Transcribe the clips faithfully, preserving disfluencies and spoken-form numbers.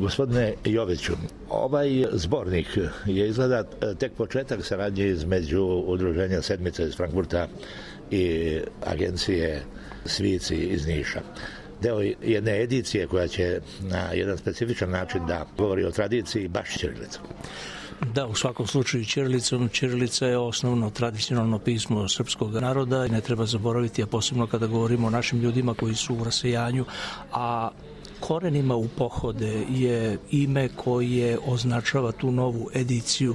Gospodine Joviću, ovaj zbornik je izgleda tek početak saradnje između Udruženja Sedmice iz Frankfurta i agencije Svici iz Niša. Deo jedne edicije koja će na jedan specifičan način da govori o tradiciji baš ćirilicom. Da, u svakom slučaju ćirilicom. Ćirilica je osnovno tradicionalno pismo srpskog naroda i ne treba zaboraviti, a posebno kada govorimo o našim ljudima koji su u rasejanju, a korenima u pohode je ime koje označava tu novu ediciju.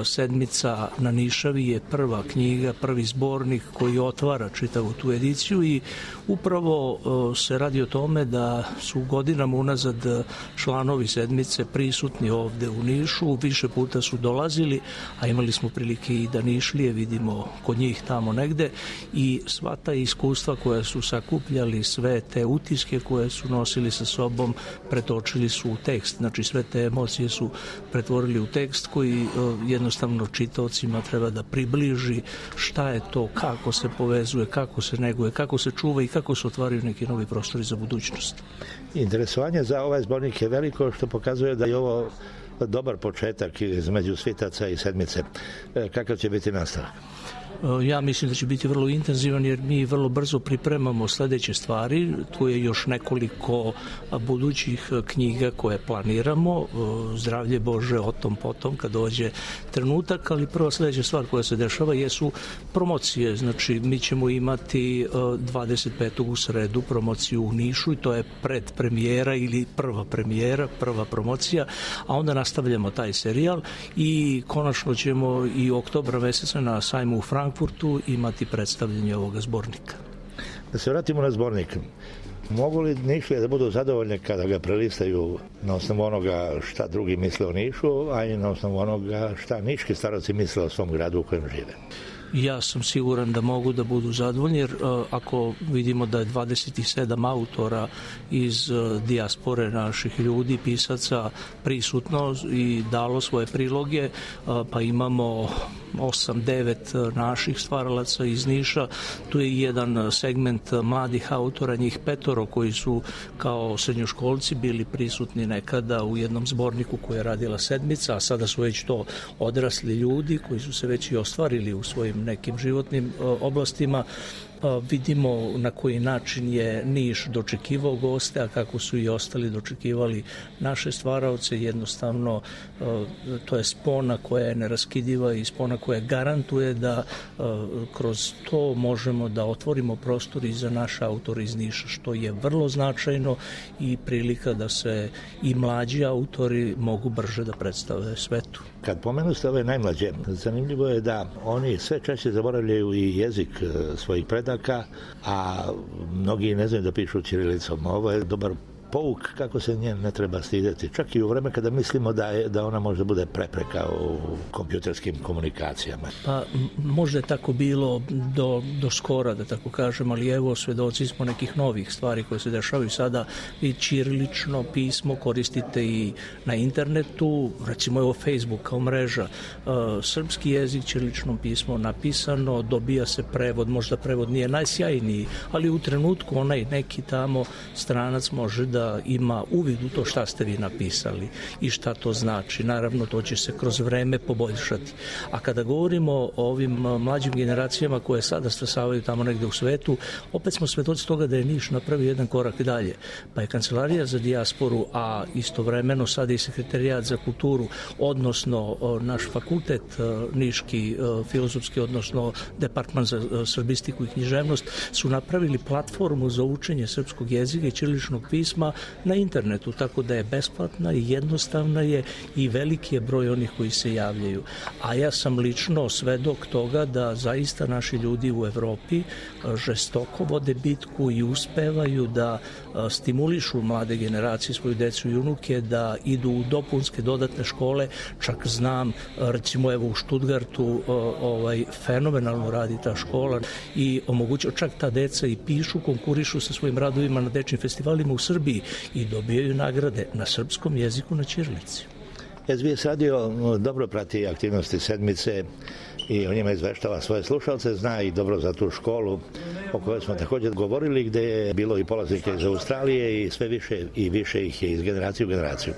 Sedmica na Nišavi je prva knjiga, prvi zbornik koji otvara čitavu tu ediciju i upravo se radi o tome da su godinama unazad članovi Sedmice prisutni ovde u Nišu, više puta su dolazili, a imali smo prilike i da Nišlije vidimo kod njih tamo negde i sva ta iskustva koja su sakupljali, sve te utiske koje su nosili sa sobom, pretočili su u tekst. Znači sve te emocije su pretvorili u tekst koji jednostavno čitaocima treba da približi šta je to, kako se povezuje, kako se neguje, kako se čuva i kako se otvaraju neki novi prostori za budućnost. Interesovanje za ovaj zbornik je veliko, što pokazuje da je ovo dobar početak između Svitaca i Sedmice. Kakav će biti nastavak? Ja mislim da će biti vrlo intenzivan jer mi vrlo brzo pripremamo sledeće stvari. Tu je još nekoliko budućih knjiga koje planiramo. Zdravlje Bože, o tom potom kad dođe trenutak, ali prva sledeća stvar koja se dešava jesu promocije. Znači mi ćemo imati dvadeset petog u sredu promociju u Nišu i to je predpremijera ili prva premijera, prva promocija, a onda nastavljamo taj serijal i konačno ćemo i oktobra meseca na sajmu u Frankfurtu imati predstavljanje ovoga zbornika. Da se vratimo na zbornik. Mogu li Nišlije da budu zadovoljne kada ga prelistaju na osnovu onoga šta drugi misle o Nišu, a i na osnovu onoga šta niški staroci misle o svom gradu u kojem žive? Ja sam siguran da mogu da budu zadovoljni jer ako vidimo da je dvadeset sedam autora iz dijaspore naših ljudi, pisaca prisutno i dalo svoje priloge, pa imamo osam devet naših stvaralaca iz Niša, tu je jedan segment mladih autora, njih petoro koji su kao srednjoškolci bili prisutni nekada u jednom zborniku koji je radila Sedmica, a sada su već to odrasli ljudi koji su se već i ostvarili u svojim nekim životnim oblastima. Vidimo na koji način je Niš dočekivao goste, a kako su i ostali dočekivali naše stvaraoce. Jednostavno to je spona koja je neraskidiva i spona koja garantuje da kroz to možemo da otvorimo prostor i za naše autore iz Niša, što je vrlo značajno i prilika da se i mlađi autori mogu brže da predstave svetu. Kad pomenu ste ove najmlađe, zanimljivo je da oni sve češće zaboravljaju i jezik svojih predaka, a mnogi ne znaju da pišu ćirilicom. Ovo je dobar pouk kako se nje ne treba stideti. Čak i u vreme kada mislimo da, je, da ona možda bude prepreka u kompjuterskim komunikacijama. Pa možda je tako bilo do, do skora, da tako kažem, ali evo svedoci smo nekih novih stvari koje se dešavaju sada. I ćirilično pismo koristite i na internetu, recimo evo Facebook kao mreža. Uh, srpski jezik, ćirilično pismo napisano, dobija se prevod, možda prevod nije najsjajniji, ali u trenutku onaj neki tamo stranac može da ima uvid u to šta ste vi napisali i šta to znači. Naravno, to će se kroz vreme poboljšati. A kada govorimo o ovim mlađim generacijama koje sada stasavaju tamo negde u svetu, opet smo svedoci toga da je Niš napravio jedan korak dalje. Pa je Kancelarija za dijasporu, a istovremeno sada i Sekretarijat za kulturu, odnosno naš fakultet Niški, filozofski, odnosno Departman za srbistiku i književnost, su napravili platformu za učenje srpskog jezika i ćiriličnog pisma na internetu, tako da je besplatna i jednostavna je i veliki je broj onih koji se javljaju. A ja sam lično svedok toga da zaista naši ljudi u Evropi žestoko vode bitku i uspevaju da stimulišu mlade generacije, svoju decu i unuke da idu u dopunske dodatne škole. Čak znam, recimo evo u Štutgartu ovaj, fenomenalno radi ta škola i omogućuje, čak ta deca i pišu, konkurišu sa svojim radovima na dečnim festivalima u Srbiji i dobijaju nagrade na srpskom jeziku na ćirilici. S B S radio dobro prati aktivnosti Sedmice i o njima izveštava svoje slušalce, zna i dobro za tu školu o kojoj smo također govorili, gde je bilo i polaznika iz Australije i sve više i više ih je iz generacije u generaciju.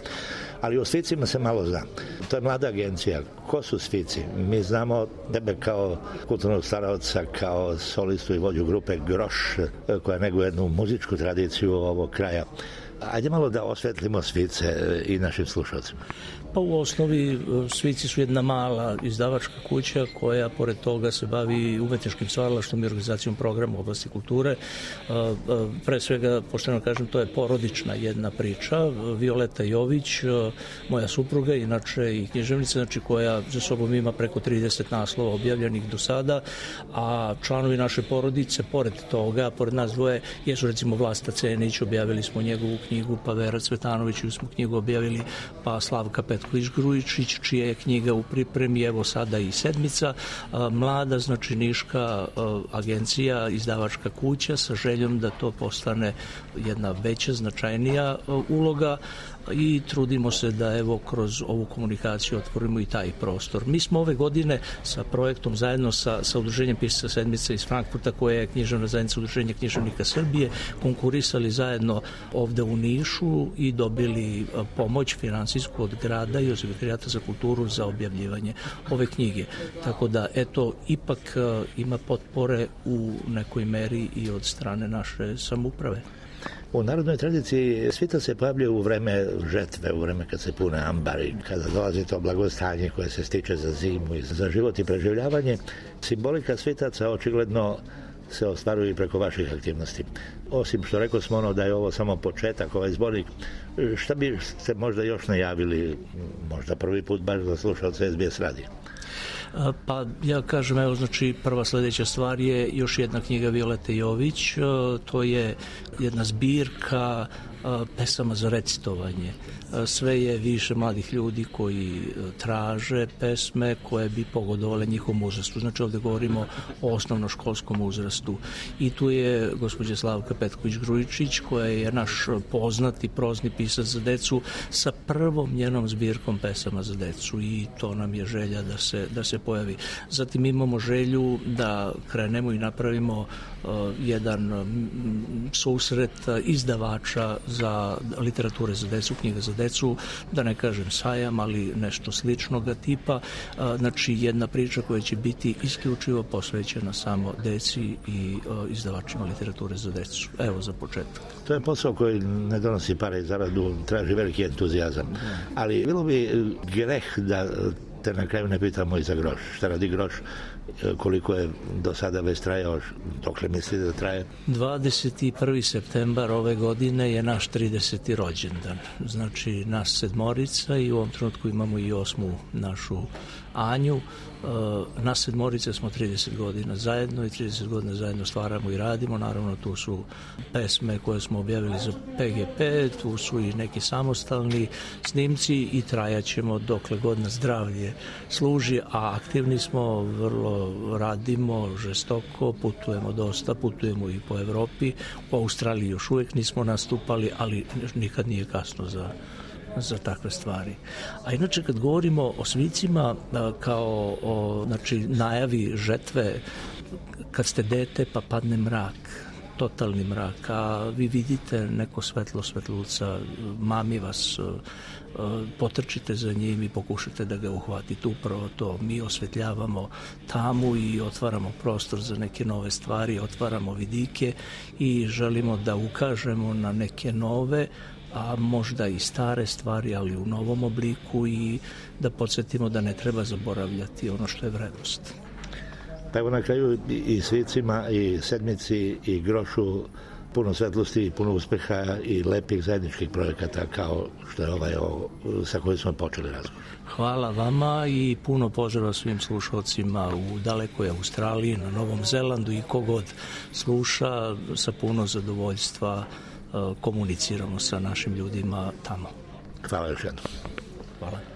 Ali o Svicima se malo zna. To je mlada agencija. Ko su Svici? Mi znamo tebe kao kulturnog staraoca, kao solistu i vođu grupe Groš, koja neguje jednu muzičku tradiciju ovog kraja. Ajde malo da osvetlimo Svice i našim slušalcima. Pa u osnovi Svici su jedna mala izdavačka kuća koja pored toga se bavi umetničkim stvaralaštvom i organizacijom programa u oblasti kulture. Pre svega, pošteno kažem, to je porodična jedna priča. Violeta Jović, moja supruga, inače i književnica, znači koja za sobom ima preko trideset naslova objavljenih do sada, a članovi naše porodice, pored toga, pored nas dvoje, jesu recimo Vlasta Cenić, objavili smo njegovu knjigu, pa Vera Cvetanović smo knjigu objavili, pa Slavka Petković-Grujičić, čija je knjiga u pripremi, evo sada i Sedmica, mlada, znači niška agencija, izdavačka kuća sa željom da to postane jedna veća, značajnija uloga i trudimo se da evo kroz ovu komunikaciju otvorimo i taj prostor. Mi smo ove godine sa projektom zajedno sa, sa udruženjem Pisaca Sedmice iz Frankfurta, koje je književna zajednica Udruženja književnika Srbije, konkurisali zajedno ovde u Nišu i dobili pomoć finansijsku od grada i od Sekretarijata za kulturu za objavljivanje ove knjige. Tako da, eto, ipak ima potpore u nekoj meri i od strane naše samouprave. U narodnoj tradiciji svita se pojavljuje u vreme žetve, u vreme kad se pune ambari, kada dolazi to blagostanje koje se stiče za zimu i za život i preživljavanje. Simbolika svitaca očigledno se ostvaruje i preko vaših aktivnosti. Osim što rekao smo ono da je ovo samo početak, ovaj zbornik, šta bi ste možda još najavili, možda prvi put baš za slušalce S B S radija? Pa ja kažem, evo, znači prva sledeća stvar je još jedna knjiga Violete Jović, to je jedna zbirka pesama za recitovanje. Sve je više mladih ljudi koji traže pesme koje bi pogodovale njihovom uzrastu. Znači ovde govorimo o osnovnoškolskom uzrastu. I tu je gospođa Slavka Petković-Grujičić, koja je naš poznati prozni pisac za decu, sa prvom njenom zbirkom pesama za decu, i to nam je želja da se, da se pojavi. Zatim imamo želju da krenemo i napravimo uh, jedan um, susret izdavača za literature za decu, knjiga za decu, da ne kažem sajam, ali nešto sličnog tipa. Znači jedna priča koja će biti isključivo posvećena samo deci i izdavačima literature za decu. Evo za početak. To je posao koji ne donosi pare i zaradu, traži veliki entuzijazam. Ali bilo bi greh da te na kraju ne pitamo i za Groš. Šta radi Groš? Koliko je do sada već trajao? Dokle mislite da traje? dvadeset prvi septembar ove godine je naš trideseti rođendan. Znači nas sedmorica, i u ovom trenutku imamo i osmu našu Anju. Nas sedmorice smo trideset godina zajedno i trideset godina zajedno stvaramo i radimo. Naravno, tu su pesme koje smo objavili za P G P, tu su i neki samostalni snimci i trajaćemo dokle god nas zdravlje služi, a aktivni smo, vrlo radimo, žestoko, putujemo dosta, putujemo i po Evropi. U Australiji još uvijek nismo nastupali, ali nikad nije kasno za za takve stvari. A inače, kad govorimo o Svicima kao o, znači, najavi žetve, kad ste dete pa padne mrak, totalni mrak, a vi vidite neko svetlo svetluca, mami vas, potrčite za njim i pokušate da ga uhvatite. Upravo to, mi osvetljavamo tamu i otvaramo prostor za neke nove stvari, otvaramo vidike i želimo da ukažemo na neke nove, a možda i stare stvari, ali u novom obliku, i da podsjetimo da ne treba zaboravljati ono što je vrednost. Pa evo na kraju i Svicima, i Sedmici, i Grošu puno svetlosti, puno uspeha i lepih zajedničkih projekata kao što je ovaj o, sa kojim smo počeli razgovor. Hvala vama i puno pozdrava svim slušalcima u dalekoj Australiji, na Novom Zelandu, i kogod sluša, sa puno zadovoljstva komuniciramo sa našim ljudima tamo. Hvala još jednom. Hvala.